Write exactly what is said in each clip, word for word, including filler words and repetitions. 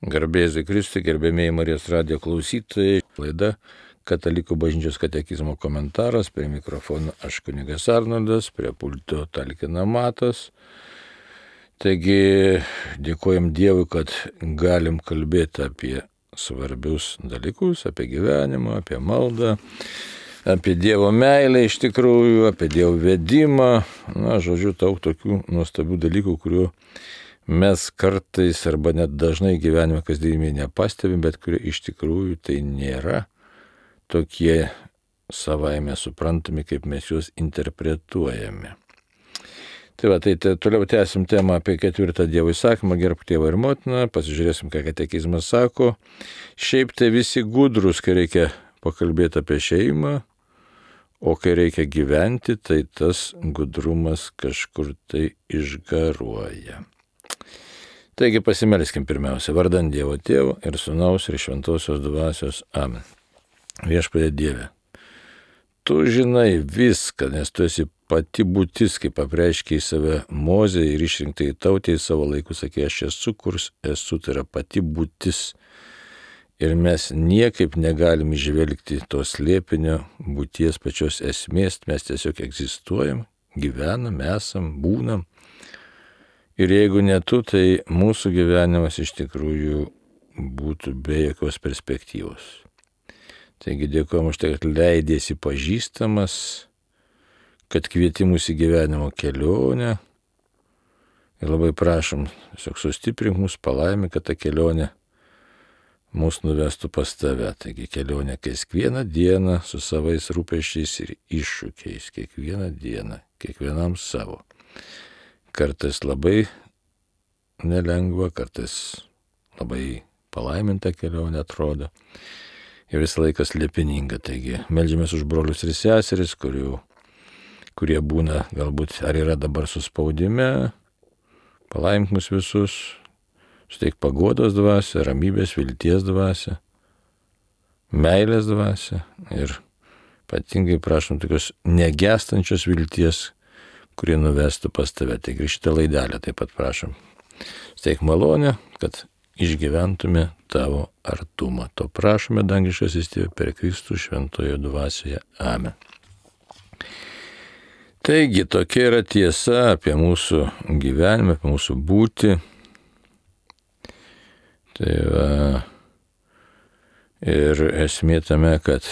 Garbėzui Kristui, gerbėmėjai Marijos radijo klausytojai, laida Katalikų bažnyčios katekizmo komentaras, prie mikrofono aš kunigas Arnoldas, prie pulto talkina Matas. Taigi dėkojam Dievui, kad galim kalbėti apie svarbius dalykus, apie gyvenimą, apie maldą, apie Dievo meilę iš tikrųjų, apie Dievo vedimą. Na, žodžiu, daug tokių nuostabių dalykų, kurių mes kartais arba net dažnai gyvenime kasdienybėje nepastebim, bet kurie iš tikrųjų tai nėra tokie savaime suprantami, kaip mes juos interpretuojame. Tai va, tai te, toliau tęsim temą apie ketvirtą Dievo įsakymą, gerbk tėvą ir motiną, pasižiūrėsim, ką katekizmas sako. Šiaip tai visi gudrus, kai reikia pakalbėti apie šeimą, o kai reikia gyventi, tai tas gudrumas kažkur tai išgaruoja. Taigi pasimelskim pirmiausia, vardan Dievo Tėvo ir Sūnaus ir Šventosios Dvasios. Amen. Viešpatie Dieve, tu žinai viską, nes tu esi pati būtis, kaip apreiškei save Mozei ir išrinktai tautai savo laiku, sakė, aš esu, kurs esu, tai yra pati būtis. Ir mes niekaip negalim išvelgti to slėpinio būties pačios esmės, mes tiesiog egzistuojam, gyvenam, esam, būnam. Ir jeigu ne tu, tai mūsų gyvenimas iš tikrųjų būtų be jokios perspektyvos. Taigi dėkojom už tai, kad leidėsi pažįstamas, kad kvieti mūsų į gyvenimo kelionę. Ir labai prašom, tiesiog sustiprink mūsų palaimį, kad ta kelionė mūsų nuvestų pas tave. Taigi kelionė kiekvieną dieną su savais rūpesčiais ir iššūkiais. Kiekvieną dieną, kiekvienam savo. Kartais labai nelengva, kartais labai palaiminta kelionė atrodo. Ir visą laiką slėpininga. Taigi meldžiamės už brolius ir seseris, kurių, kurie būna galbūt ar yra dabar suspaudime. Palaimink mus visus, suteik paguodos dvasią, ramybės, vilties dvasią, meilės dvasią ir ypatingai prašom tokios negestančios vilties, kurie nuvestų pas tave. Taigi šitą laidelę taip pat prašom. Suteik malonę, kad išgyventume tavo artumą. To prašome, dangiškasis Tėve, per Kristų šventojo dvasioje. Amen. Taigi, tokia yra tiesa apie mūsų gyvenimą, apie mūsų būtį. Tai va, ir esmė tame, kad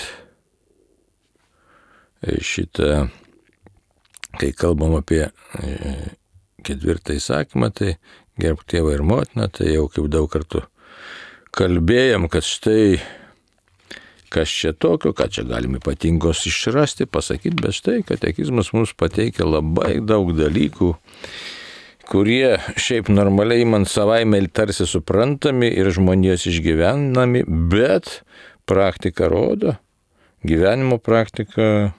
šitą, kai kalbam apie ketvirtą įsakymą, tai gerbk tėvą ir motiną, tai jau kaip daug kartų kalbėjom, kad štai kas čia tokio, ką čia galime ypatingos išrasti, pasakyti, bet štai katekizmas mums pateikia labai daug dalykų, kurie šiaip normaliai man savaime tarsi suprantami ir žmonijos išgyvenami, bet praktika rodo, gyvenimo praktika,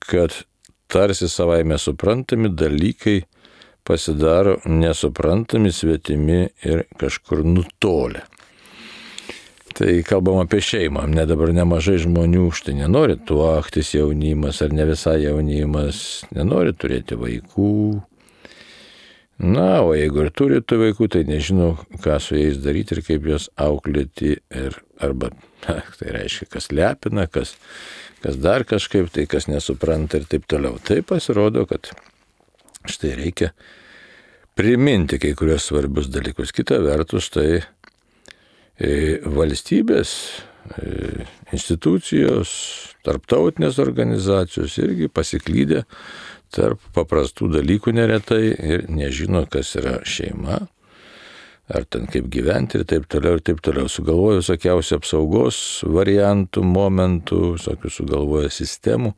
kad tarsi savaime suprantami dalykai pasidaro nesuprantami, svetimi ir kažkur nutolę. Tai kalbam apie šeimą. Ne dabar nemažai žmonių štai nenori tuoktis, jaunimas ar ne visai jaunimas, nenori turėti vaikų. Na, o jeigu ir turi tų vaikų, tai nežino, ką su jais daryti ir kaip juos auklėti. Ir, arba, na, tai reiškia, kas lepina, kas, kas dar kažkaip, tai kas nesupranta ir taip toliau. Tai pasirodo, kad štai reikia priminti kai kurios svarbius dalykus. Kita vertus, tai valstybės, institucijos, tarptautinės organizacijos irgi pasiklydė tarp paprastų dalykų neretai ir nežino, kas yra šeima, ar ten kaip gyventi ir taip toliau ir taip toliau. Sugalvoja visokiausių apsaugos variantų, momentų, visokių sugalvoja sistemų,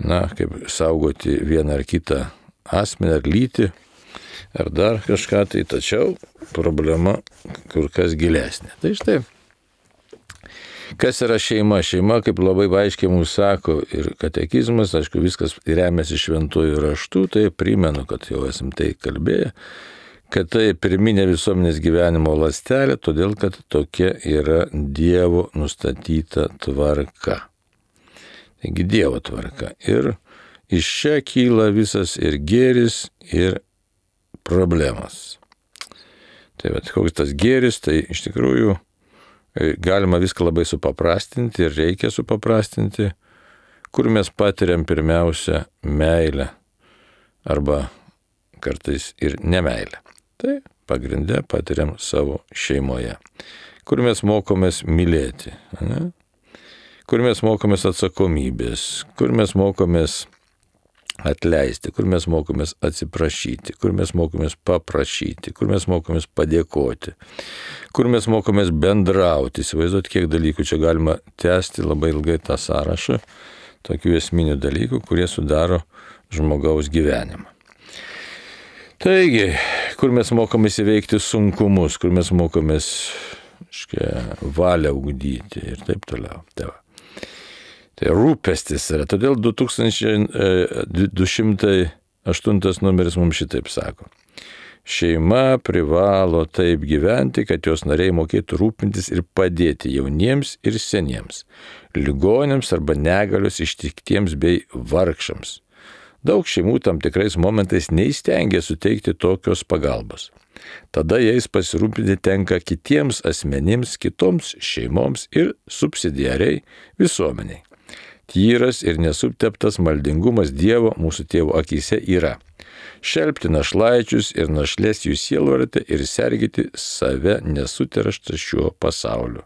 na, kaip saugoti vieną ar kitą asmenį ar lytį, ar dar kažką, tai tačiau problema kur kas gilesnė. Tai štai, kas yra šeima? Šeima, kaip labai aiškiai mums sako ir katekizmas, aišku, viskas remiasi šventuoju raštu, tai primenu, kad jau esam tai kalbėję, kad tai pirminė visuomenės gyvenimo ląstelė, todėl kad tokia yra Dievo nustatyta tvarka. Taigi Dievo tvarka. Ir iš čia kyla visas ir gėris, ir problemas. Tai bet koks tas gėris, tai iš tikrųjų galima viską labai supaprastinti ir reikia supaprastinti, kur mes patiriam pirmiausia meilę arba kartais ir nemeilę. Tai pagrinde patiriam savo šeimoje, kur mes mokomės mylėti, ne? Kur mes mokomės atsakomybės, kur mes mokomės atleisti, kur mes mokomės atsiprašyti, kur mes mokomės paprašyti, kur mes mokomės padėkoti, kur mes mokomės bendrauti. Įsivaizduot, kiek dalykų čia galima tęsti labai ilgai tą sąrašą, tokių esminių dalykų, kurie sudaro žmogaus gyvenimą. Taigi, kur mes mokomės įveikti sunkumus, kur mes mokomės škia, valią ugdyti ir taip toliau. Tai, tai rūpestis yra. Todėl du tūkstančiai du šimtai aštuntas numeris mums šitaip sako. Šeima privalo taip gyventi, kad jos nariai mokėtų rūpintis ir padėti jauniems ir seniems, ligoniams arba negalios ištiktiems bei vargšams. Daug šeimų tam tikrais momentais neįstengia suteikti tokios pagalbos. Tada jais pasirūpinti tenka kitiems asmenims, kitoms šeimoms ir subsidiariai visuomeniai. Tyras ir nesuteptas maldingumas Dievo mūsų tėvo akyse yra šelpti našlaičius ir našlės jų sielvartą ir sergėti save nesuterštą šiuo pasauliu.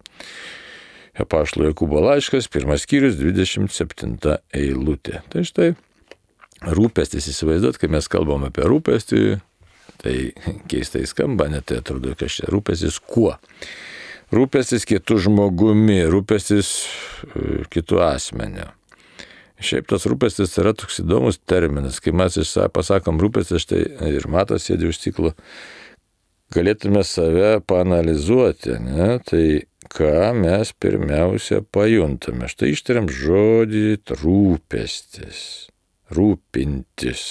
Apaštalo Jokūbo laiškas, pirmas skyrius, dvidešimt septinta eilutė. Tai štai rūpestis, įsivaizduot, kai mes kalbam apie rūpestį, tai keistai skamba, net tai atrodo, kad čia rūpestis kuo? Rūpestis kitų žmogumi, rūpestis kitų asmeniu. Šiaip tas rūpestis yra toks įdomus terminas, kai mes pasakom rūpestis, štai ir Matas sėdi už stiklo, galėtume save paanalizuoti, ne? Tai ką mes pirmiausia pajuntame. Štai ištariam žodį rūpestis, rūpintis.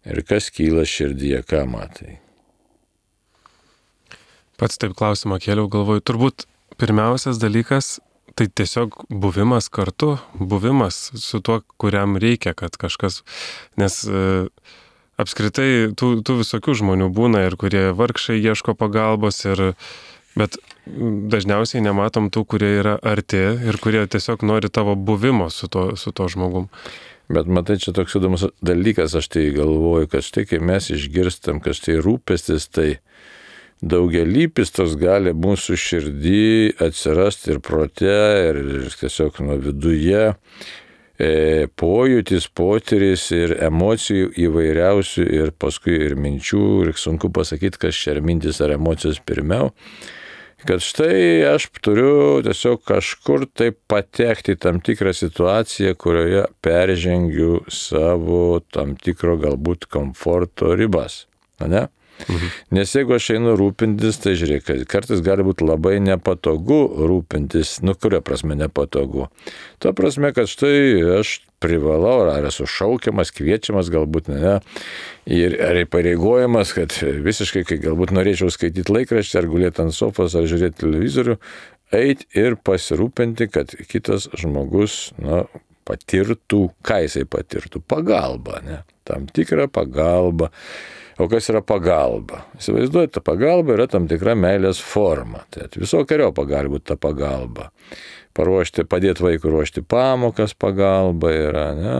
Ir kas kyla širdyje, ką matai? Pats taip klausimą kėliau, galvoju, turbūt pirmiausias dalykas tai tiesiog buvimas kartu, buvimas su tuo, kuriam reikia, kad kažkas, nes e, apskritai tų, tų visokių žmonių būna ir kurie vargšai ieško pagalbos, ir, bet dažniausiai nematom tų, kurie yra arti ir kurie tiesiog nori tavo buvimo su to, su to žmogum. Bet matai, čia toks įdomus dalykas, aš tai galvoju, kad štai kai mes išgirstam, kad štai rūpestis, tai daugialypis tos gali mūsų širdį atsirasti ir prote, ir, ir tiesiog nuo viduje, e, pojūtis, potyris ir emocijų įvairiausių ir paskui ir minčių, ir sunku pasakyti, kas čia ar mintis ar emocijos pirmiau, kad štai aš turiu tiesiog kažkur taip patekti į tam tikrą situaciją, kurioje peržengiu savo tam tikro galbūt komforto ribas, ne? Mhm. Nes jeigu aš einu rūpintis, tai žiūrėk, kartais gali būti labai nepatogu rūpintis, nu kuria prasme nepatogu. Tuo prasme, kad štai aš privalau, ar esu šaukiamas, kviečiamas, galbūt ne, ir ar įpareigojamas, kad visiškai, kai galbūt norėčiau skaityti laikraštį, ar gulėti ant sofos, ar žiūrėti televizorių, eiti ir pasirūpinti, kad kitas žmogus, na, patirtų, ką jisai patirtų, pagalbą, ne, tam tikrą pagalbą. O kas yra pagalba? Įsivaizduojate, ta pagalba yra tam tikra meilės forma. Tai visokiojo pagalba ta pagalba. Paruošti, padėti vaikui ruošti pamokas pagalba yra, ne?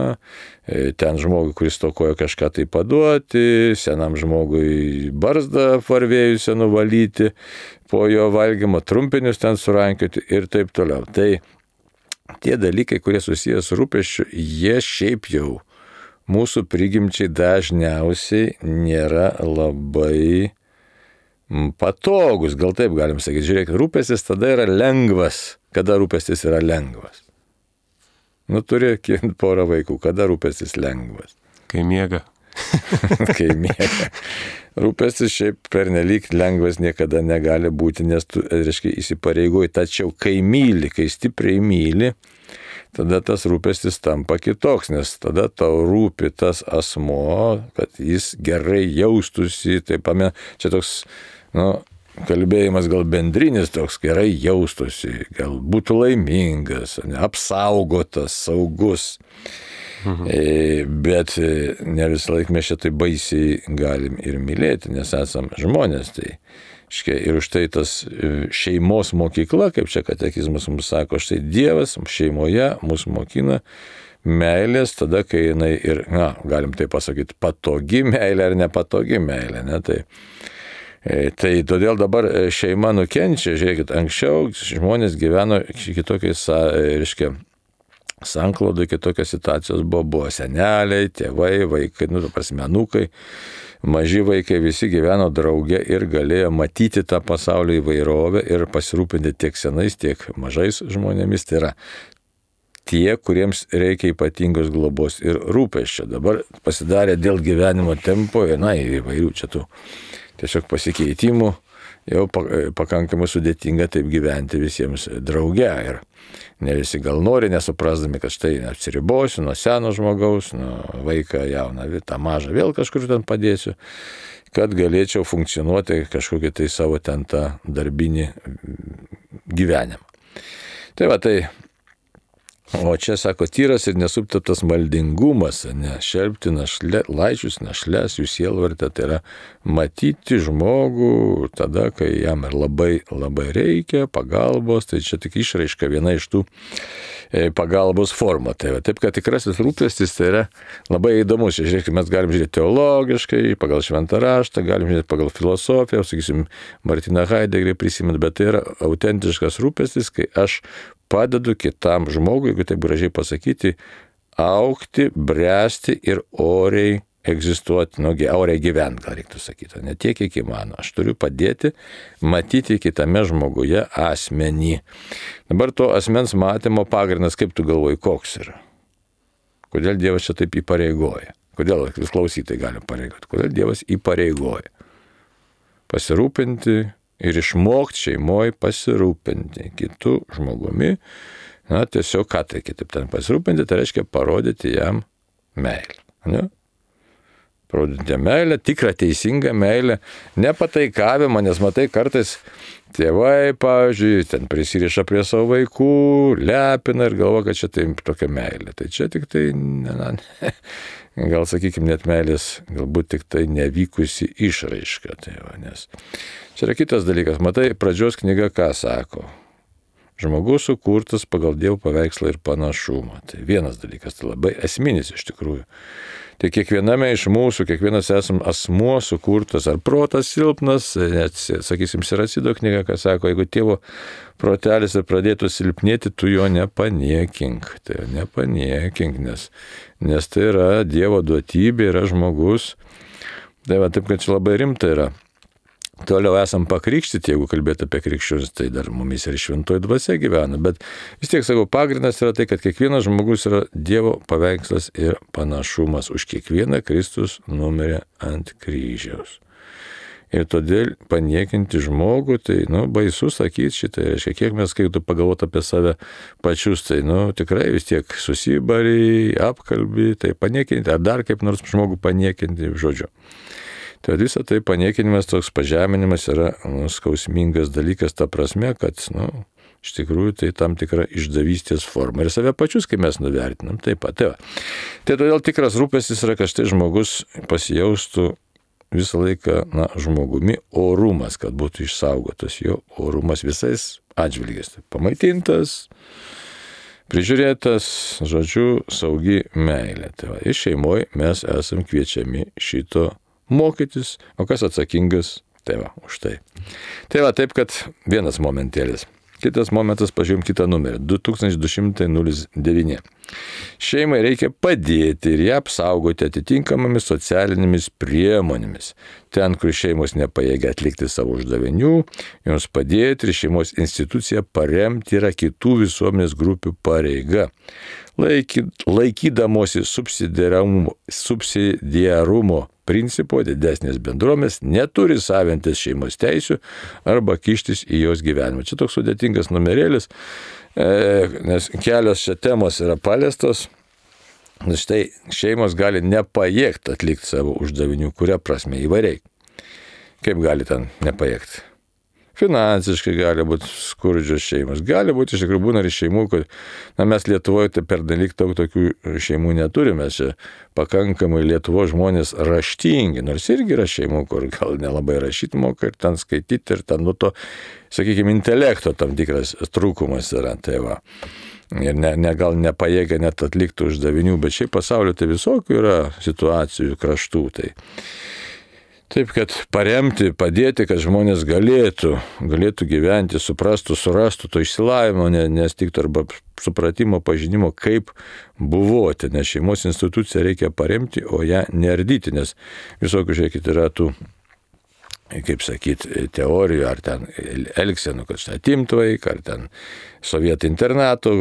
Ten žmogui, kuris stokoja kažką tai paduoti, senam žmogui barzdą varvėjusią nuvalyti, po jo valgymo trumpinius ten surankioti ir taip toliau. Tai tie dalykai, kurie susijęs su rūpesčiu, jie šiaip jau mūsų prigimčiai dažniausiai nėra labai patogus, gal taip galim sakyti. Žiūrėk, rūpestis tada yra lengvas. Kada rūpestis yra lengvas? Nu, turi porą vaikų. Kada rūpestis lengvas? Kai miega. Kai miega. Rūpestis šiaip pernelyg lengvas niekada negali būti, nes tu, reiškia, įsipareigoji. Tačiau kai myli, kai stipriai myli, tada tas rūpestis tampa kitoks, nes tada tau rūpi tas asmuo, kad jis gerai jaustųsi, taip pamė, čia toks, nu, kalbėjimas gal bendrinis toks, gerai jaustųsi, gal būtų laimingas, ne, apsaugotas, saugus. Mhm. Bet ne visą laiką mes šitai baisiai galim ir mylėti, nes esam žmonės. Tai, škia, ir už tai tas šeimos mokykla, kaip čia katekizmas mums sako, štai Dievas šeimoje mus mokina meilės, tada, kai jinai ir, na, galim tai pasakyti, patogi meilė ar nepatogi meilė. Ne? Tai, tai todėl dabar šeima nukenčia, žiūrėkit, anksčiau žmonės gyveno kitokiais, reiškia, sanklaudai, kitokios situacijos buvo, buvo seneliai, tėvai, vaikai, nu, prasme, anūkai, maži vaikai, visi gyveno drauge ir galėjo matyti tą pasaulio įvairovę ir pasirūpinti tiek senais, tiek mažais žmonėmis. Tai yra tie, kuriems reikia ypatingos globos ir rūpesčio. Dabar pasidarė dėl gyvenimo tempo, na, įvairių čia tų tiesiog pasikeitimų, jau pakankamai sudėtinga taip gyventi visiems drauge. Ir ne visi gal nori, nesuprasdami, kad štai atsiribosiu nuo seno žmogaus, nuo vaiką jauną, tą mažą vėl kažkur ten padėsiu, kad galėčiau funkcionuoti kažkokį tai savo ten tą darbinį gyvenimą. Tai va, tai o čia, sako, tyras ir nesuptaptas maldingumas, ne, šelbti našle, laičius, našles, jų sielvartę, tai yra matyti žmogų tada, kai jam ir labai, labai reikia pagalbos, tai čia tik išraiška viena iš tų pagalbos formų. Tai va, taip, kad tikrasis rūpestis tai yra labai įdomus. Žiūrėkime, mes galim žiūrėti teologiškai, pagal šventą raštą, galim žiūrėti pagal filosofiją, sakysim, Martiną Heidegerį prisimint, bet tai yra autentiškas rūpestis, kai aš padedu kitam žmogui, jeigu taip gražiai pasakyti, augti, bręsti ir oriai egzistuoti, nu, oriai gyventi, gal reiktų sakyti, ne tiek, kiek įmano. Aš turiu padėti matyti kitame žmoguje asmenį. Dabar to asmens matymo pagrindas, kaip tu galvoji, koks yra? Kodėl Dievas čia taip įpareigoja? Kodėl vis klausytai gali pareigoti? Kodėl Dievas įpareigoja? Pasirūpinti ir išmokti šeimoje pasirūpinti kitų žmogumi, na, tiesiog ką tai kitaip ten pasirūpinti, tai reiškia parodyti jam meilę. Ne? Parodyti jam meilę, tikrą teisingą meilę, nepataikavimą, nes matai, kartais tėvai, pavyzdžiui, ten prisiriša prie savo vaikų, lepina ir galvo, kad čia tai tokia meilė. Tai čia tik tai, na, ne, gal sakykime, net meilės, galbūt tik tai nevykusi išraiška. Tai va, nes čia yra kitas dalykas. Matai, pradžios knyga ką sako? Žmogus sukurtas pagal Dievo paveikslą ir panašumą. Tai vienas dalykas, tai labai esminis iš tikrųjų. Tai kiekviename iš mūsų, kiekvienas esam asmuo sukurtas, ar protas silpnas, net, sakysim, Siracido knyga, ką sako, jeigu tėvo protelis ir pradėtų silpnėti, tu jo nepaniekink. Tai nepaniekink, nes, nes tai yra Dievo duotybė, yra žmogus. Tai va, taip, kad čia labai rimta yra. Toliau esam pakrikštyti, jeigu kalbėti apie krikščionis, tai dar mumis ir šventoji dvasia gyvena, bet vis tiek, sakau, pagrindas yra tai, kad kiekvienas žmogus yra Dievo paveikslas ir panašumas. Už kiekvieną Kristus numirė ant kryžiaus. Ir todėl paniekinti žmogų, tai, nu, baisu sakyti šitą, reiškia, kiek mes, kai tu pagalvot apie save pačius, tai, nu, tikrai vis tiek susibari, apkalbi, tai paniekinti, ar dar kaip nors žmogų paniekinti, žodžiu. Tai visą tai paniekinimas, toks pažeminimas yra, nu, skausmingas dalykas, ta prasme, kad, nu, iš tikrųjų tai tam tikra išdavystės forma. Ir save pačius, kai mes nuvertinam, taip pat. Tai, tai todėl tikras rūpestis yra, kad štai žmogus pasijaustų visą laiką, na, žmogumi, orumas, kad būtų išsaugotas jo orumas visais atžvilgiais. Pamaitintas, prižiūrėtas, žodžiu, saugi meilė. Tai va, iš šeimoje mes esam kviečiami šito mokytis, o kas atsakingas, tai va, už tai. Tai va, taip, kad vienas momentėlis. Kitas momentas, pažiūrėjom kitą numerį, du tūkstančiai du šimtai devyni. Šeimai reikia padėti ir ją apsaugoti atitinkamomis socialinėmis priemonėmis. Ten, kur šeimos nepajėgia atlikti savo uždavinių, joms padėti ir šeimos instituciją paremti yra kitų visuomenės grupių pareiga. Laiky, laikydamosi subsidiarumo, subsidiarumo principo, didesnės bendruomenės neturi savintis šeimos teisių arba kištis į jos gyvenimą. Čia toks sudėtingas numerėlis, e, nes kelios čia temos yra paliestos. Štai šeimos gali nepajėgti atlikti savo uždavinių, kuria prasme įvairiai. Kaip gali ten nepajėgti? finansiškai gali būti skurdžios šeimos. Gali būti iš tikrųjų būna ir šeimų, kad na, mes Lietuvoje tai per dalyk daug tokių šeimų neturime. Čia pakankamai Lietuvos žmonės raštingi, nors irgi yra šeimų, kur gal nelabai rašyti moka ir ten skaityti ir ten nu to, sakykime, intelekto tam tikras trūkumas yra. Tai va. Ir ne, ne, gal nepajėgia net atlikti uždavinių, bet šiaip pasaulio tai visokių yra situacijų, kraštų. Tai. Taip, kad paremti, padėti, kad žmonės galėtų, galėtų gyventi, suprastų, surastų to išsilavinimo, nes tik arba supratimo, pažinimo, kaip buvoti, nes šeimos instituciją reikia paremti, o ją neardyti, nes visokių, žiūrėkit, yra tų, kaip sakyti, teorijų, ar ten elgsenų, kad štai atimtų vaiką, ar ten sovietų internatų,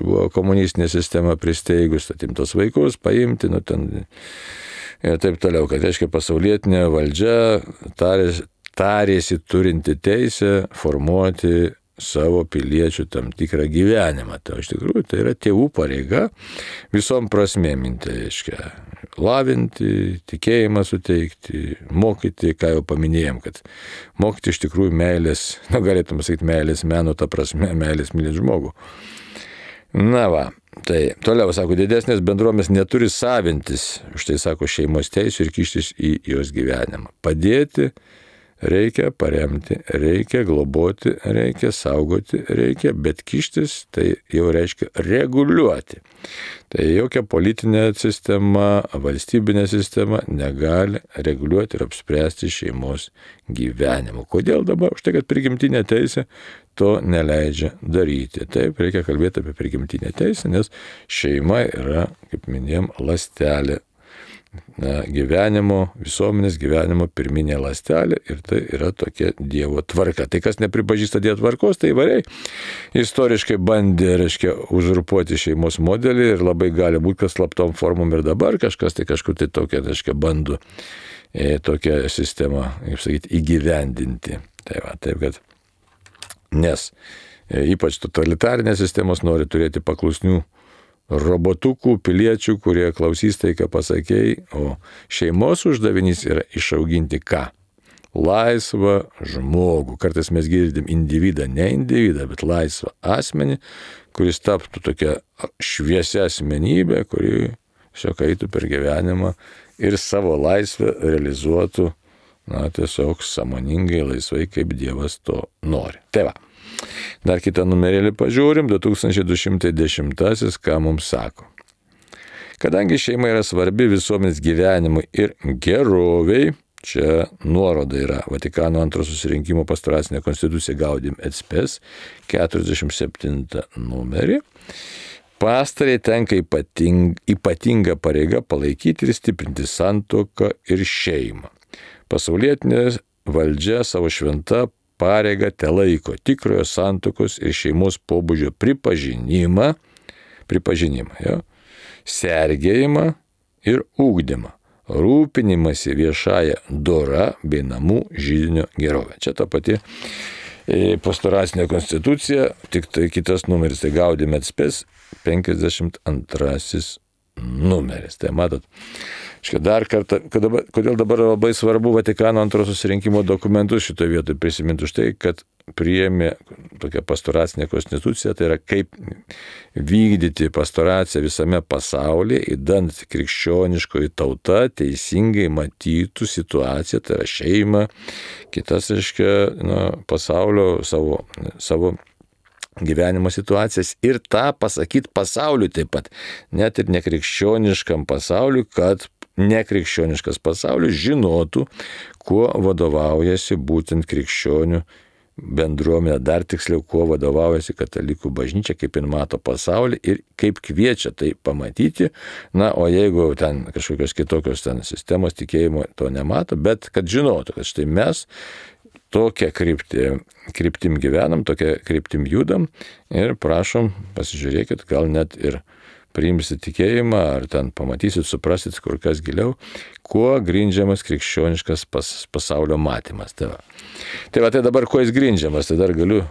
buvo komunistinė sistema pristeigus, atimtos vaikus, paimti, nu ten ir taip toliau, kad reiškia pasaulietinė valdžia tarėsi, tarėsi turinti teisę formuoti savo piliečių tam tikrą gyvenimą. Tai iš tikrųjų tai yra tėvų pareiga visom prasmėm, tai reiškia lavinti, tikėjimą suteikti, mokyti, ką jau paminėjom, kad mokyti iš tikrųjų meilės, nu galėtume sakyti meilės meno, ta prasme meilės mylėti žmogų. Na va, tai toliau, sako, didesnės bendruomenės neturi savintis, štai sako, šeimos teisų ir kištis į jos gyvenimą. Padėti reikia, paremti, reikia globoti, reikia saugoti, reikia, bet kištis tai jau reiškia reguliuoti. Tai jokia politinė sistema, valstybinė sistema negali reguliuoti ir apspręsti šeimos gyvenimo. Kodėl dabar? Už tai, kad prigimtinė teisė to neleidžia daryti. Taip, reikia kalbėti apie prigimtinę teisę, nes šeima yra, kaip minėjom, ląstelė. Na, gyvenimo, visuomenės gyvenimo pirminė ląstelė ir tai yra tokia Dievo tvarka. Tai kas nepripažįsta Dievo tvarkos, tai įvairiai istoriškai bandė, reiškia, uzurpuoti šeimos modelį ir labai gali būti, kad slaptom formom ir dabar kažkas tai kažkur tai tokia, reiškia, bando e, tokią sistemą, kaip sakyti, įgyvendinti. Tai va, taip kad, nes e, ypač totalitarinės sistemos nori turėti paklusnių robotukų, piliečių, kurie klausys tai, ką pasakėjai, o šeimos uždavinys yra išauginti ką? Laisvą žmogų. Kartais mes girdim individą, ne individą, bet laisvą asmenį, kuris taptų tokia šviesia asmenybė, kuri šiok eitų per gyvenimą ir savo laisvę realizuotų, na, tiesiog sąmoningai, laisvai, kaip Dievas to nori. Tai va. Dar kitą numerėlį pažiūrim, du tūkstančiai du šimtai dešimtasis, ką mums sako. Kadangi šeima yra svarbi visuomenės gyvenimui ir geroviai, čia nuoroda yra Vatikano antro susirinkimo pastoracinė konstitucija Gaudium et Spes, keturiasdešimt septintą numerį, pastarei tenka ypating, ypatinga pareiga palaikyti ir stiprinti santuoką ir šeimą. Pasaulietinė valdžia savo šventą pareigą telaiko tikrojo santuokos ir šeimos pobūdžio pripažinimą, pripažinimą, jo, sergėjimą ir ugdymą, rūpinimąsi viešąją dora bei namų židinio gerovę. Čia ta pati pastoracinė konstitucija, tik tai kitas numeris, tai Gaudium et Spes, penkiasdešimt antrasis numeris. Tai matot, dar kartą, kodėl dabar labai svarbu Vatikano antro susirinkimo dokumentus šitoje vietoje prisiminti už tai, kad priėmė tokią pastoracinę konstituciją, tai yra kaip vykdyti pastoraciją visame pasaulyje, įdant krikščioniškoji tauta teisingai matytų situaciją, tai yra šeimą, kitas, reiškia, na, pasaulio savo, savo gyvenimo situacijas ir tą pasakyti pasauliui taip pat, net ir nekrikščioniškam pasauliui, kad nekrikščioniškas pasaulis žinotų, kuo vadovaujasi būtent krikščionių bendruomenė, dar tiksliau, kuo vadovaujasi katalikų bažnyčia, kaip jin mato pasaulį ir kaip kviečia tai pamatyti. Na, o jeigu ten kažkokios kitokios ten sistemos tikėjimo to nemato, bet kad žinotų, kad štai mes tokią kryptį, kryptim gyvenam, tokią kryptim judam ir prašom, pasižiūrėkit, gal net ir priimsit tikėjimą, ar ten pamatysit, suprasit kur kas giliau, kuo grindžiamas krikščioniškas pas, pasaulio matymas. Tai va. tai va, tai dabar kuo jis grindžiamas, tai dar galiu,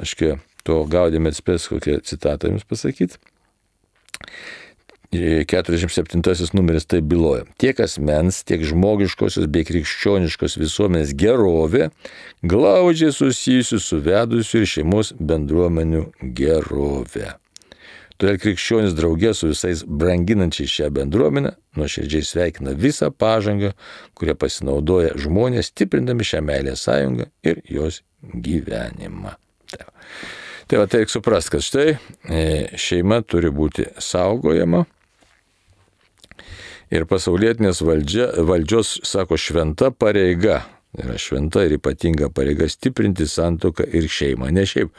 aiškiai, to Gaudium et Spes kokią citatą jums pasakyti. keturiasdešimt septintasis numeris tai byloja. Tiek asmens, tiek žmogiškosios bei krikščioniškos visuomenės gerovė glaudžiai susijusi su vedusių ir šeimos bendruomenių gerovė. Todėl krikščionis draugė su visais branginančiais šią bendruomenę nuoširdžiai sveikina visą pažangą, kurią pasinaudoja žmonės, stiprindami šią meilės sąjungą ir jos gyvenimą. Tai va, tai va tai reikia suprasti, kad štai šeima turi būti saugojama ir pasaulietinės valdžia, valdžios, sako, šventa pareiga. Yra šventa ir ypatinga pareiga stiprinti santuoką ir šeimą. Ne šiaip,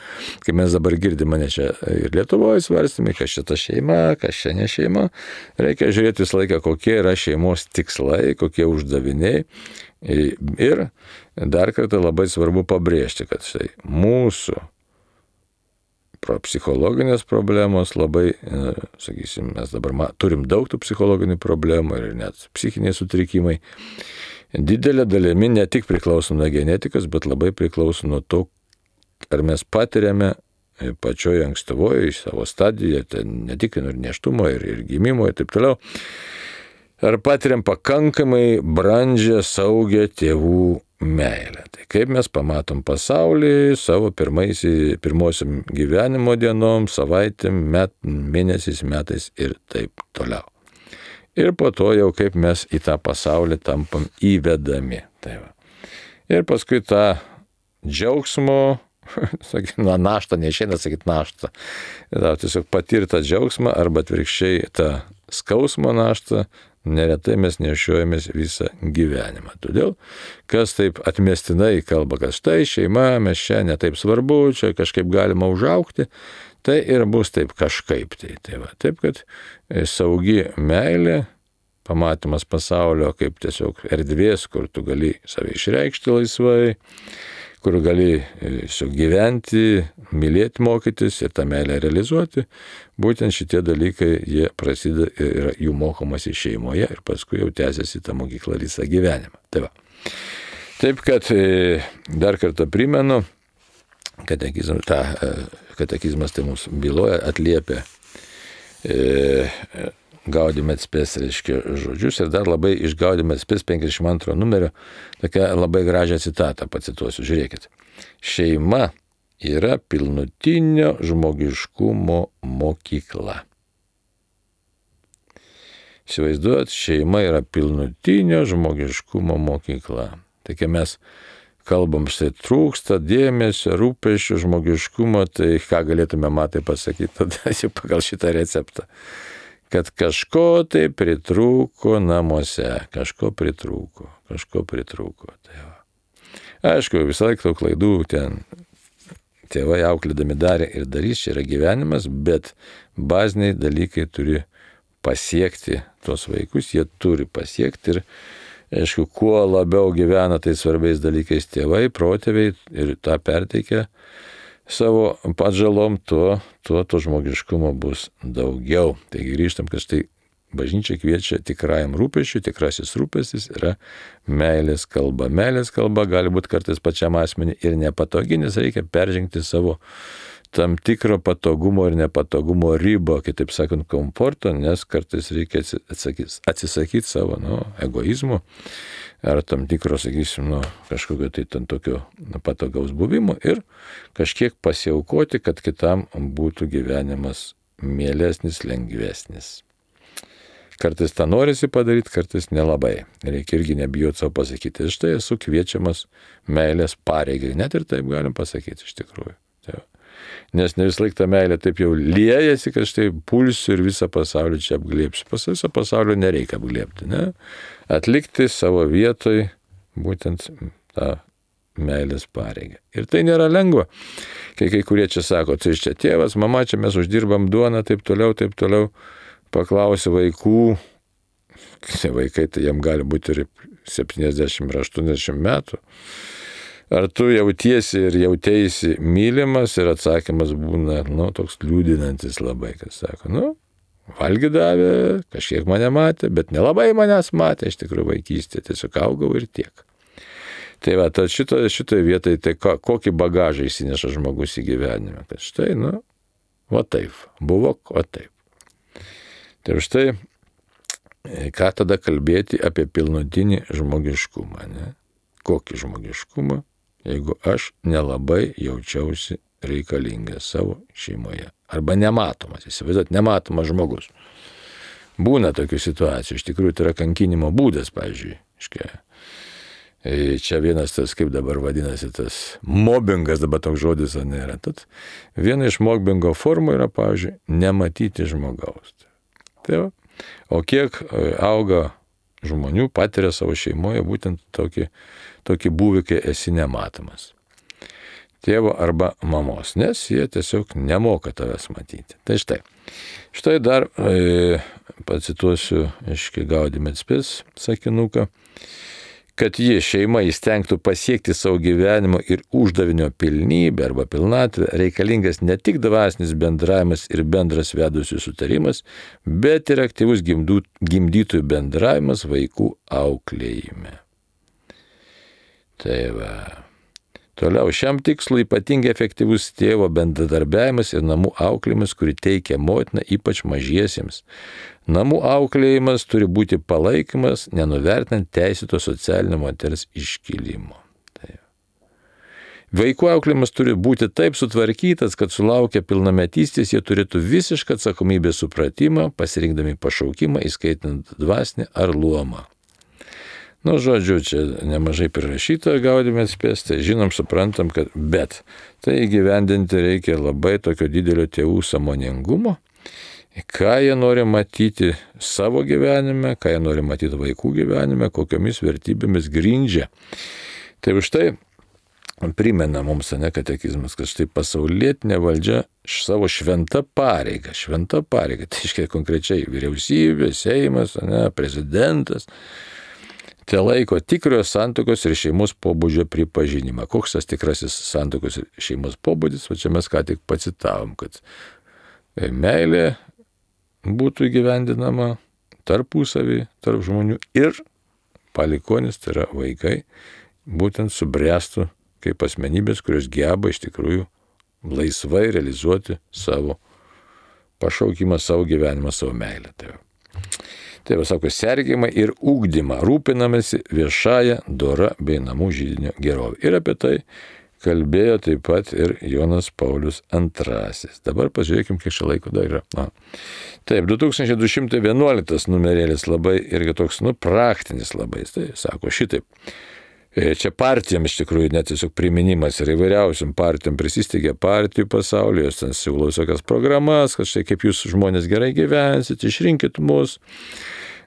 kai mes dabar girdime ne čia ir Lietuvoje svarstymai, kas čia ta šeima, kas čia ne šeima. Reikia žiūrėti visą laiką, kokie yra šeimos tikslai, kokie uždaviniai. Ir dar kartą labai svarbu pabrėžti, kad štai mūsų psichologinės problemos labai, sakysim, mes dabar turim daug tų psichologinių problemų ir net psichiniai sutrikimai. Didelė dalimi ne tik priklauso nuo genetikos, bet labai priklauso nuo to, ar mes patiriame pačioje ankstyvoje savo stadijoje, tai ne tik ir nėštumo, ir, ir gimimo, ir taip toliau, ar patiriam pakankamai brandžią, saugią tėvų meilę. Tai kaip mes pamatom pasaulį savo pirmosiam gyvenimo dienom, savaitėm, met, mėnesiais, metais ir taip toliau. Ir po to jau kaip mes į tą pasaulį tampam įvedami. Tai va. Ir paskui tą džiaugsmo, sakykime, na, naštą, neišeina sakyti naštą, da, tiesiog patirtą džiaugsmą arba atvirkščiai tą skausmo naštą, neretai mes nešiojamės visą gyvenimą. Todėl, kas taip atmestinai kalba, kad štai šeima, mes čia netaip svarbu, čia kažkaip galima užaukti, tai ir bus taip kažkaip. Tai, tai va, taip, kad saugi meilė, pamatymas pasaulio kaip tiesiog erdvės, kur tu gali save išreikšti laisvai, kur gali tiesiog gyventi, mylėti, mokytis ir tą meilę realizuoti, būtent šitie dalykai, jie prasideda ir jų mokomasi šeimoje ir paskui jau tęsiasi tą mokyklą visą gyvenimą. Tai va. Taip, kad dar kartą primenu, katekizmas, ta, katekizmas tai mums byloja, atliepia e, Gaudime et Spes, reiškia, žodžius ir dar labai iš Gaudime et Spes penkiasdešimt antro numerio tokią labai gražią citatą pacituosiu. Žiūrėkit. Šeima yra pilnutinio žmogiškumo mokykla. Įsivaizduojat, šeima yra pilnutinio žmogiškumo mokykla. Tai kai mes kalbam, štai trūksta dėmesio, rūpesčio, žmogiškumo, tai ką galėtume matai pasakyti tada jau pagal šitą receptą. Kad kažko tai pritrūko namuose, kažko pritrūko, kažko pritrūko. Tai va. Aišku, visą laiką tų klaidų ten tėvai auklėdami darė ir darys, čia yra gyvenimas, bet baziniai dalykai turi pasiekti tuos vaikus, jie turi pasiekti ir aišku, kuo labiau gyvena tai svarbiais dalykais tėvai, protėviai ir tą perteikia savo atžalom, tuo, tuo to žmogiškumo bus daugiau. Taigi grįžtam, kad štai bažnyčia kviečia tikrajam rūpesčiui, tikrasis rūpestis yra meilės kalba. Meilės kalba gali būti kartais pačiam asmeniui ir nepatogi, nes reikia peržengti savo tam tikro patogumo ir nepatogumo ribą, kitaip sakant, komforto, nes kartais reikia atsisakyti, atsisakyti savo nu, egoizmo ar tam tikro, sakysim, nu, kažkokio tai ten tokio patogaus buvimo ir kažkiek pasiaukoti, kad kitam būtų gyvenimas mielesnis, lengvesnis. Kartais tą norisi padaryti, kartais nelabai. Reikia irgi nebijoti savo pasakyti. Štai esu kviečiamas meilės pareigai. Net ir taip galim pasakyti iš tikrųjų. Tai nes ne vis laik ta meilė taip jau liejasi, kad štai pulsiu ir visą pasaulį čia apglėpsiu. Pas visą pasaulį nereikia apglėpti, ne? Atlikti savo vietoj būtent tą meilės pareigą. Ir tai nėra lengva. Kai kai kurie čia sako, tai čia tėvas, mama, čia mes uždirbam duoną, taip toliau, taip toliau. Paklausi vaikų, vaikai tai jam gali būti ir septyniasdešimt ar aštuoniasdešimt metų. Ar tu jautiesi ir jauteisi mylimas ir atsakymas būna, nu, toks liūdinantis labai, kas sako, nu, valgį davė, kažkiek mane matė, bet nelabai manęs matė, iš tikrųjų vaikystė, tiesiog augau ir tiek. Tai va, tad šitoje šito vietoje, tai ko, kokį bagažą įsineša žmogus į gyvenimą, kad štai, nu, va taip, buvo, o taip. Tai štai, ką tada kalbėti apie pilnutinį žmogiškumą, ne? Kokį žmogiškumą, jeigu aš nelabai jaučiausi reikalingas savo šeimoje. Arba nematomas, įsivaizduot, nematomas žmogus. Būna tokių situacijų, iš tikrųjų tai yra kankinimo būdas, pavyzdžiui. Čia vienas tas, kaip dabar vadinasi, tas mobbingas, dabar toks žodis nėra. Tad viena iš mobbingo formų yra, pavyzdžiui, nematyti žmogaus. Tai va. O kiek auga žmonių, patiria savo šeimoje būtent tokį, tokį būvį, kai esi nematomas. Tėvo arba mamos, nes jie tiesiog nemoka tavęs matyti. Tai štai. Štai dar e, pacituosiu iš Gaudium et Spes sakinuką, kad ji šeima įstengtų pasiekti savo gyvenimo ir uždavinio pilnybę arba pilnatvę, reikalingas ne tik dvasinis bendravimas ir bendras vedusių sutarimas, bet ir aktyvus gimdų, gimdytojų bendravimas vaikų auklėjime. Tai va. Toliau, šiam tikslui ypatingai efektyvus tėvo bendradarbiavimas ir namų auklėjimas, kurį teikia motina, ypač mažiesiems. Namų auklėjimas turi būti palaikymas, nenuvertinant teisėto socialinio moters iškilimo. Tai. Vaikų auklėjimas turi būti taip sutvarkytas, kad sulaukę pilnametystės jie turėtų visišką atsakomybės supratimą, pasirinkdami pašaukimą, įskaitant dvasinį ar luomą. Nu, žodžiu, čia nemažai prirašyta Gaudium et Spes, tai žinom, suprantam, kad bet tai įgyvendinti reikia labai tokio didelio tėvų sąmoningumo, ką jie nori matyti savo gyvenime, ką jie nori matyti vaikų gyvenime, kokiomis vertybėmis grindžia. Tai už tai primena mums, ne, katekizmas, kad štai pasaulietinė valdžia savo šventą pareigą, šventą pareigą, tai iškia konkrečiai vyriausybė, Seimas, ne, prezidentas, te laiko tikrojo santuokos ir šeimos pobūdžio pripažinimą. Koks tas tikrasis santuokos ir šeimos pobūdis, o čia mes ką tik pacitavom, kad meilė būtų įgyvendinama tarpusavį, tarp žmonių ir palikonis, tai yra vaikai, būtent subręstų kaip asmenybės, kurios geba iš tikrųjų laisvai realizuoti savo pašaukimą, savo gyvenimą, savo meilę. Tai Tai va, sako, sergimą ir ugdymą, rūpinamasi viešąją, dora bei namų židinio gerovę. Ir apie tai kalbėjo taip pat ir Jonas Paulius antrasis. Dabar pažiūrėkim, kiek čia laiko dar yra. Na. Taip, du tūkstančiai du šimtai vienuoliktas numerėlis labai irgi toks, nu, praktinis labai. Tai sako šitaip. Čia partijam iš tikrųjų net tiesiog priminimas ir įvairiausiam partijam prisisteigia partijų pasaulyje, jos ten siūlo visokias programas, kad štai kaip jūs žmonės gerai gyvensit, išrinkit mus.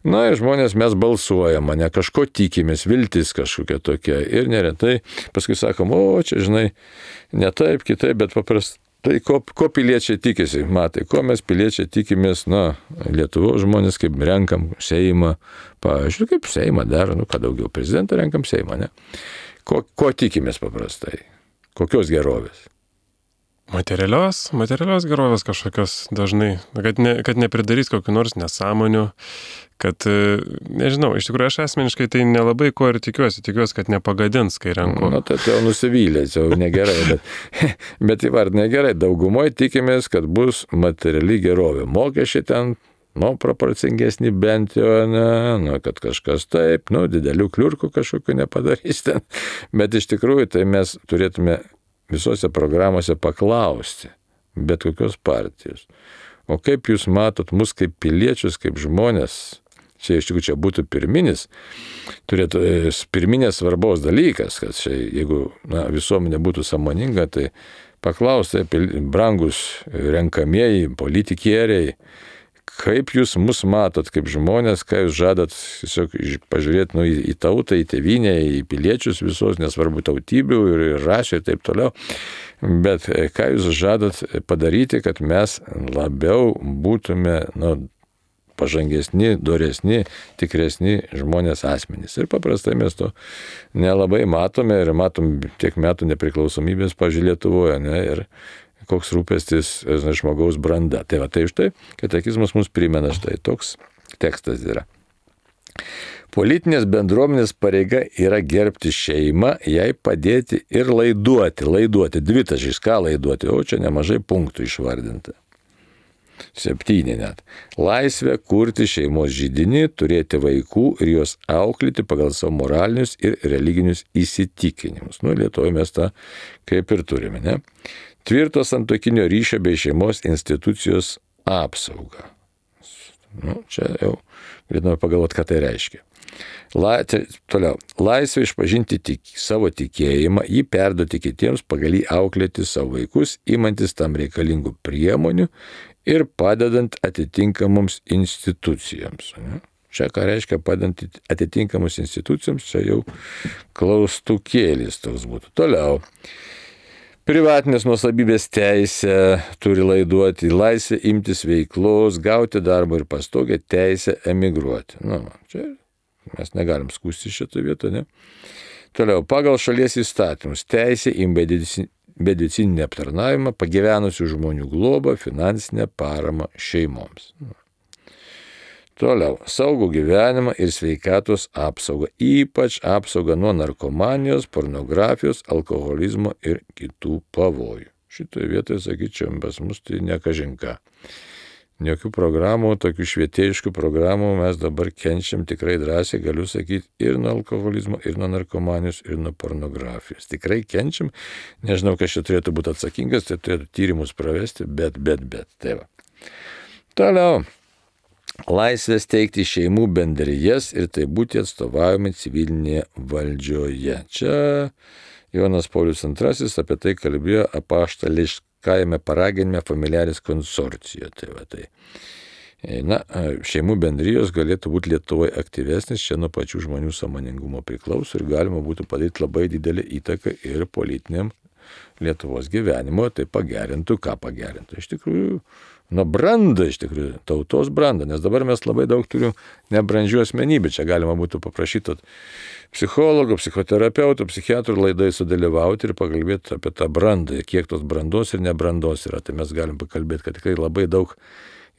Na ir žmonės mes balsuojam, ne kažko tikimės, viltis kažkokia tokia ir neretai paskui sakom, o čia žinai, ne taip, kitaip, bet paprastai. Tai ko, ko piliečiai tikisi, matai, ko mes piliečiai tikimės, na, Lietuvos žmonės, kaip renkam Seimą, pavyzdžiui, kaip Seimą daro, nu, ką daugiau, prezidentą renkam Seimą, ne? Ko, ko tikimės paprastai? Kokios gerovės? Materialios, materialios gerovės kažkokios dažnai, kad, ne, kad nepridarys kokių nors nesąmonių, kad, nežinau, iš tikrųjų aš asmeniškai tai nelabai ko ir tikiuosi, tikiuosi, kad nepagadins, kai renku. Na, tai jau nusivylė, jau negerai, bet, bet įvardinė gerai, daugumoje tikimės, kad bus materiali gerovė. Mokesčiai ten, nu, proporcingesni bent jau, ne, nu, kad kažkas taip, nu, didelių kliurkų kažkokių nepadarys ten, bet iš tikrųjų tai mes turėtume visose programuose paklausti, bet kokios partijos. O kaip jūs matot mus kaip piliečius, kaip žmonės, čia iš tikrųjų čia būtų pirminis, turėtų pirminės svarbos dalykas, kad čia, jeigu na, visuomenė būtų sąmoninga, tai paklausti, brangus renkamieji politikieriai, kaip jūs mus matot kaip žmonės, ką jūs žadat tiesiog pažiūrėti nu, į, į tautą, į tėvynę, į piliečius visos, nesvarbu tautybių ir, ir rasių ir taip toliau. Bet ką jūs žadat padaryti, kad mes labiau būtume nu, pažangesni, doresni, tikresni žmonės asmenys. Ir paprastai mes to nelabai matome ir matom tiek metų nepriklausomybės, pavyzdžiui, Lietuvoje, ne, ir koks rūpestis žmogaus branda. Tai va, tai už tai katekizmas mums primena štai toks tekstas yra. Politinės bendruomenės pareiga yra gerbti šeimą, jai padėti ir laiduoti, laiduoti, dvitaškis, ką laiduoti, o čia nemažai punktų išvardinta. Septyni net. Laisvė kurti šeimos židinį, turėti vaikų ir juos auklėti pagal savo moralinius ir religinius įsitikinimus. Nu, Lietuvoje mes tą kaip ir turime, ne? Tvirto santuokinio ryšio bei šeimos institucijos apsauga. Nu, čia jau galėtume pagalvoti, ką tai reiškia. La, toliau. Laisvė išpažinti tik, savo tikėjimą, jį perduoti kitiems, pagal jį auklėti savo vaikus, imantis tam reikalingų priemonių ir padedant atitinkamoms institucijoms. Ne? Čia ką reiškia padedant atitinkamoms institucijoms, čia jau klaustukėlis toks būtų. Toliau. Privatinės nuosavybės teisė turi laiduoti, laisvę imtis veiklos, gauti darbą ir pastogę, teisę emigruoti. Nu, čia mes negalim skųsti šitą vietą, ne? Toliau, pagal šalies įstatymus, teisė į medicininį aptarnavimą, pagyvenusių žmonių globą, finansinę paramą šeimoms. Toliau, saugų gyvenimą ir sveikatos apsaugą, ypač apsaugą nuo narkomanijos, pornografijos, alkoholizmo ir kitų pavojų. Šitoje vietoje, sakyčiau, pas mus tai nekažinka. Jokių programų, tokių švietėjiškų programų mes dabar kenčiam tikrai drąsiai, galiu sakyti, ir nuo alkoholizmo, ir nuo narkomanijos, ir nuo pornografijos. Tikrai kenčiam, nežinau, kas čia turėtų būti atsakingas, tai turėtų tyrimus pravesti, bet, bet, bet. Tai va. Toliau. Laisvės teikti šeimų bendrijas ir tai būti atstovavimai civilinėje valdžioje. Čia Jonas Paulius antrasis apie tai kalbėjo apaštališkajame paraginime Familiaris konsorcijo. Tai va, tai. Na, šeimų bendrijos galėtų būti Lietuvoje aktyvesnis, čia nuo pačių žmonių sąmoningumo priklauso ir galima būtų padaryti labai didelį įtaką ir politiniam Lietuvos gyvenimo, tai pagerintų, ką pagerintų. Iš tikrųjų, nuo brandą, iš tikrųjų, tautos brandą, nes dabar mes labai daug turim nebrandžių asmenybių. Čia galima būtų paprašyti psichologų, psichoterapeutų, psichiatrų laidai sudalyvauti ir pakalbėti apie tą brandą, kiek tos brandos ir nebrandos yra. Tai mes galim pakalbėti, kad tikrai labai daug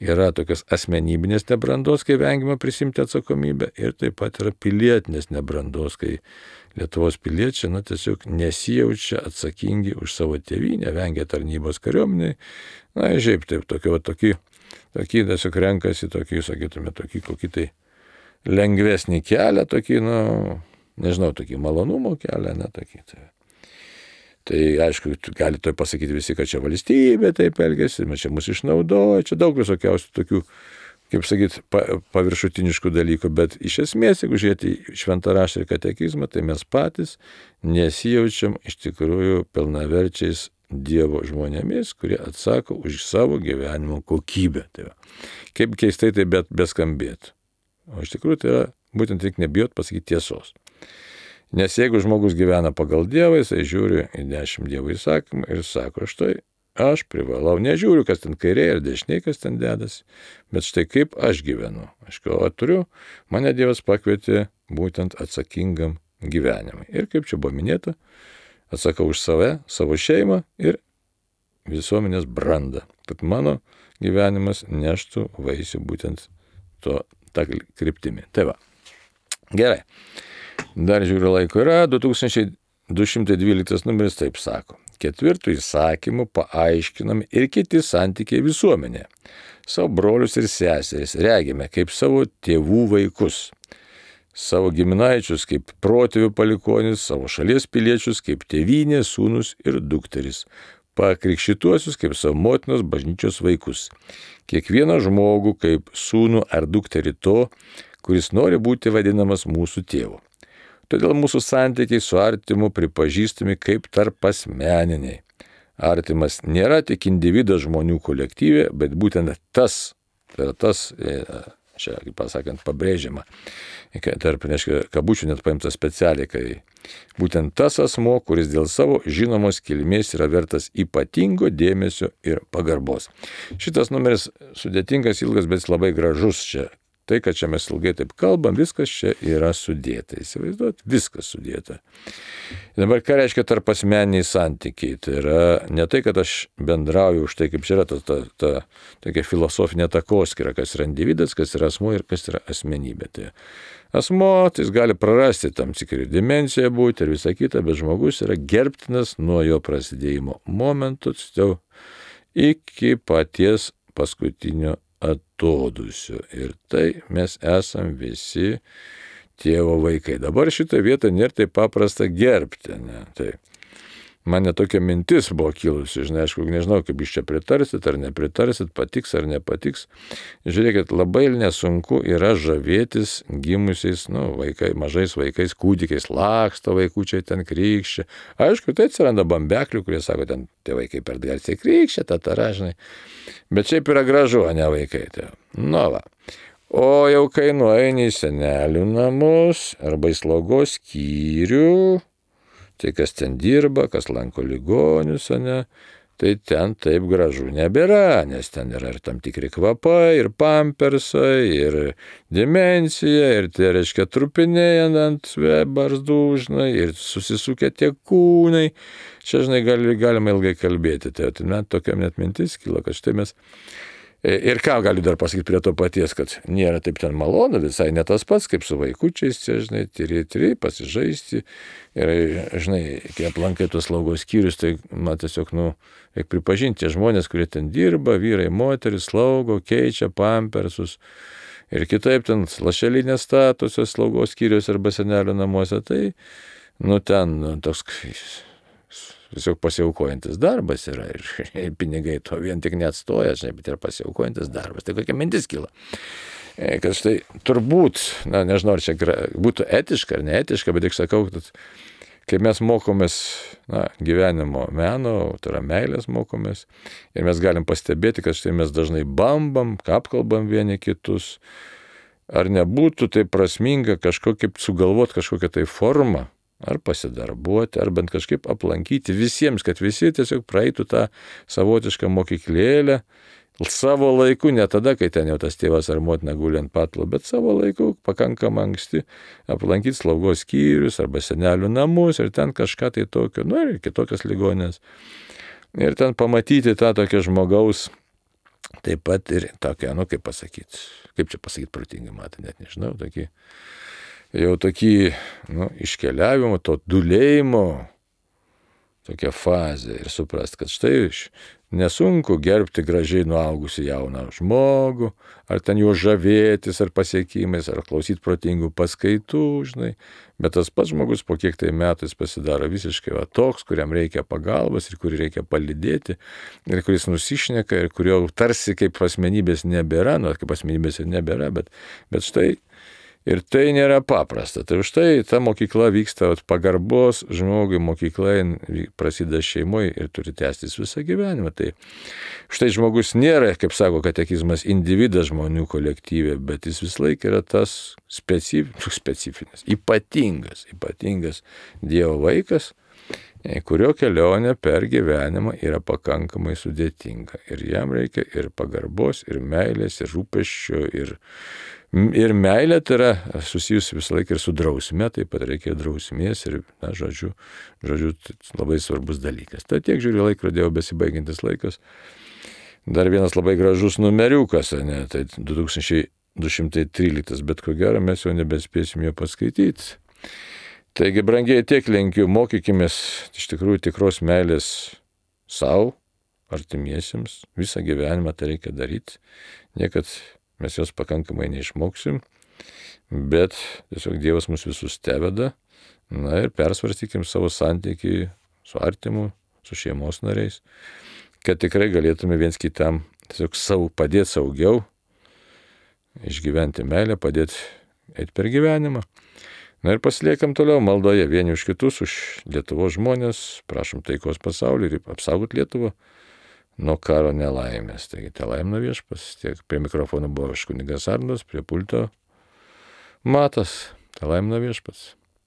yra tokios asmenybinės nebrandos, kai vengiama prisimti atsakomybę, ir taip pat yra pilietinės nebrandos, kai Lietuvos piliečiai, na, tiesiog nesijaučia atsakingi už savo tėvynę, vengia tarnybos kariuomeniai, na, žiaip taip, tokį, tokį, tokį tiesiog renkasi, tokį, sakytume, tokį kokį tai lengvesnį kelią, tokį, na, nežinau, tokį malonumo kelią, ne, tokį. Tai. Tai aišku, gali to pasakyti visi, kad čia valstybė taip elgesi, čia mus išnaudoja, čia daug visokiausių tokių, kaip sakyti, pa, paviršutiniškų dalykų, bet iš esmės, jeigu žiūrėti šventą raštą ir katekizmą, tai mes patys nesijaučiam iš tikrųjų pilnaverčiais Dievo žmonėmis, kurie atsako už savo gyvenimo kokybę. Tai va. Kaip keistai tai bet beskambėtų. O iš tikrųjų tai yra būtent tik nebijot pasakyti tiesos. Nes jeigu žmogus gyvena pagal Dievą, jisai žiūri į dešimt Dievo įsakymų ir sako, štai aš privalau, nežiūriu, kas ten kairėje ar dešinėje, kas ten dedasi, bet štai kaip aš gyvenu. Aš ko turiu, mane Dievas pakvietė būtent atsakingam gyvenimui. Ir kaip čia buvo minėta, atsakau už save, savo šeimą ir visuomenės brandą. Kad mano gyvenimas neštų vaisių būtent to, tą kryptimį. Tai va. Gerai. Dar žiūriu laiko yra, du tūkstančiai du šimtai dvyliktas numeris taip sako. Ketvirtų įsakymų paaiškinami ir kiti santykiai visuomenė. Savo brolius ir seseris regime kaip savo tėvų vaikus, savo giminaičius kaip protėvių palikonis, savo šalies piliečius kaip tėvynės, sūnus ir dukteris, pakrikštytuosius kaip savo motinos bažnyčios vaikus, kiekvieną žmogų kaip sūnų ar dukterį to, kuris nori būti vadinamas mūsų tėvu. Todėl mūsų santykiai su artimu pripažįstami kaip tarpasmeniniai. Artimas nėra tik individas žmonių kolektyvė, bet būtent tas, tai yra tas, čia, kaip pasakant, pabrėžiama, tarp, neaiškia, kabučių net paimta specialiai, kai būtent tas asmo, kuris dėl savo žinomos kilmės yra vertas ypatingo dėmesio ir pagarbos. Šitas numeris sudėtingas, ilgas, bet labai gražus čia. Tai, kad čia mes ilgai taip kalbam, viskas čia yra sudėta. Įsivaizduot, viskas sudėta. Ir dabar ką reiškia tarpasmeniniai santykiai? Tai yra ne tai, kad aš bendrauju už tai, kaip čia yra ta, ta, ta tokia filosofinė takoskyra, kas yra individas, kas yra asmuo ir kas yra asmenybė. Tai asmuo, tai jis gali prarasti tam tikrą dimensiją būti ir visą kitą, bet žmogus yra gerbtinas nuo jo prasidėjimo momento iki paties paskutinio atodūsio. Ir tai mes esam visi tėvo vaikai. Dabar šitą vietą nėra taip paprasta gerbti. Ne? Tai man tokia mintis buvo kilusi, žinai, aišku, nežinau, kaip jūs čia pritarsit ar nepritarsit, patiks ar nepatiks. Žiūrėkit, labai nesunku yra žavėtis gimusiais, nu, vaikai, mažais vaikais, kūdikiais, laksto vaikučiai ten krykščia. Aišku, tai atsiranda bambeklių, kurie sako, ten tie vaikai per garsiai krykščia, tatara, žinai. Bet šiaip yra gražu, o ne vaikai. Tai. Nu, va. O jau kai nueini į senelių namus arba į slaugos skyrių, tai kas ten dirba, kas lanko ligonius, ne, tai ten taip gražu nebėra, nes ten yra ir tam tikri kvapai, ir pampersai, ir demencija, ir tie, reiškia, trupiniai ant barzdų, žinai, ir susisukę tie kūnai. Čia, žinai, gali, galima ilgai kalbėti. Tai man tokia net mintis kilo, kad štai mes... Ir ką galiu dar pasakyti prie to paties, kad nėra taip ten malonu, visai ne tas pats, kaip su vaikučiais, čia, žinai, tyri, tyri, pasižaisti. Ir, žinai, kai aplankai tos slaugos skyrius, tai man tiesiog, nu, reikia pripažinti, tie žmonės, kurie ten dirba, vyrai, moteris, slaugo, keičia pampersus. Ir kitaip ten lašelinės statusios slaugos skyrius arba senelio namuose, tai, nu, ten nu, toks... Tiesiog pasiaukojantis darbas yra ir pinigai to vien tik neatstoja, žinai, bet ir pasiaukojantis darbas. Tai kokia mintis kyla? Kad štai turbūt, na nežinau, ar čia būtų etiška ar neetiška, bet tik sakau, kad kai mes mokomės na, gyvenimo meno, tai yra meilės mokomės, ir mes galim pastebėti, kad štai mes dažnai bambam, apkalbam vieni kitus, ar nebūtų tai prasminga kažkokį sugalvoti kažkokią tai formą, ar pasidarbuoti, ar bent kažkaip aplankyti visiems, kad visi tiesiog praeitų tą savotišką mokyklėlę savo laiku, ne tada, kai ten jau tas tėvas ar motina guli ant patlo, bet savo laiku pakankamai anksti aplankyti slaugos skyrius arba senelių namus ir ten kažką tai tokio, nu ir kitokias ligonės. Ir ten pamatyti tą tokią žmogaus, taip pat ir tokią, nu kaip pasakyti, kaip čia pasakyti protingai, matai, net nežinau, tokį jau tokį, nu, iškeliavimo, to dulėjimo, tokia fazė ir suprast, kad štai nesunku gerbti gražiai nuaugusi jauną žmogų, ar ten juo žavėtis, ar pasiekimais, ar klausyti protingų paskaitų, žinai, bet tas pats žmogus po kiek tai metų jis pasidaro visiškai va, toks, kuriam reikia pagalbos ir kurį reikia palydėti, ir kuris nusišneka, ir kurio tarsi kaip asmenybės nebėra, nu, kaip asmenybės ir nebėra, bet, bet štai ir tai nėra paprasta. Tai už tai ta mokykla vyksta, pagarbos žmogui mokykla prasideda šeimoje ir turi tęstis visą gyvenimą. Tai štai žmogus nėra, kaip sako katekizmas, individas žmonių kolektyvė, bet jis vis laik yra tas specif, specifinis, ypatingas, ypatingas Dievo vaikas, kurio kelionė per gyvenimą yra pakankamai sudėtinga. Ir jam reikia ir pagarbos, ir meilės, ir rūpesčio, ir Ir meilė tai yra susijusi visą laiką ir su drausme, taip pat reikia drausmės ir, na, žodžiu, žodžiu, labai svarbus dalykas. Tai tiek žiūriu laikrodį, jau besibaigiantis laikas. Dar vienas labai gražus numeriukas, ne, tai du tūkstančiai du šimtai tryliktas, bet ko gero mes jau nebespėsim jo paskaityti. Taigi, brangiai, tiek linkiu, mokykimės iš tikrųjų tikros meilės savo, artimiesiems, visą gyvenimą tai reikia daryti, niekad mes jos pakankamai neišmoksim, bet tiesiog Dievas mus visus teveda, na ir persvarstykim savo santykį su artimu, su šeimos nariais, kad tikrai galėtume viens kitam tiesiog savo, padėti saugiau, išgyventi meilę, padėti eiti per gyvenimą. Na ir pasiliekam toliau maldoje vieni už kitus, už Lietuvos žmonės, prašom taikos pasaulį ir apsaugot Lietuvą nuo karo nelaimės. Taigi, te laimina Viešpats, tiek prie mikrofono buvo kunigas Arnas, prie pulto Matas, te laimina Viešpats.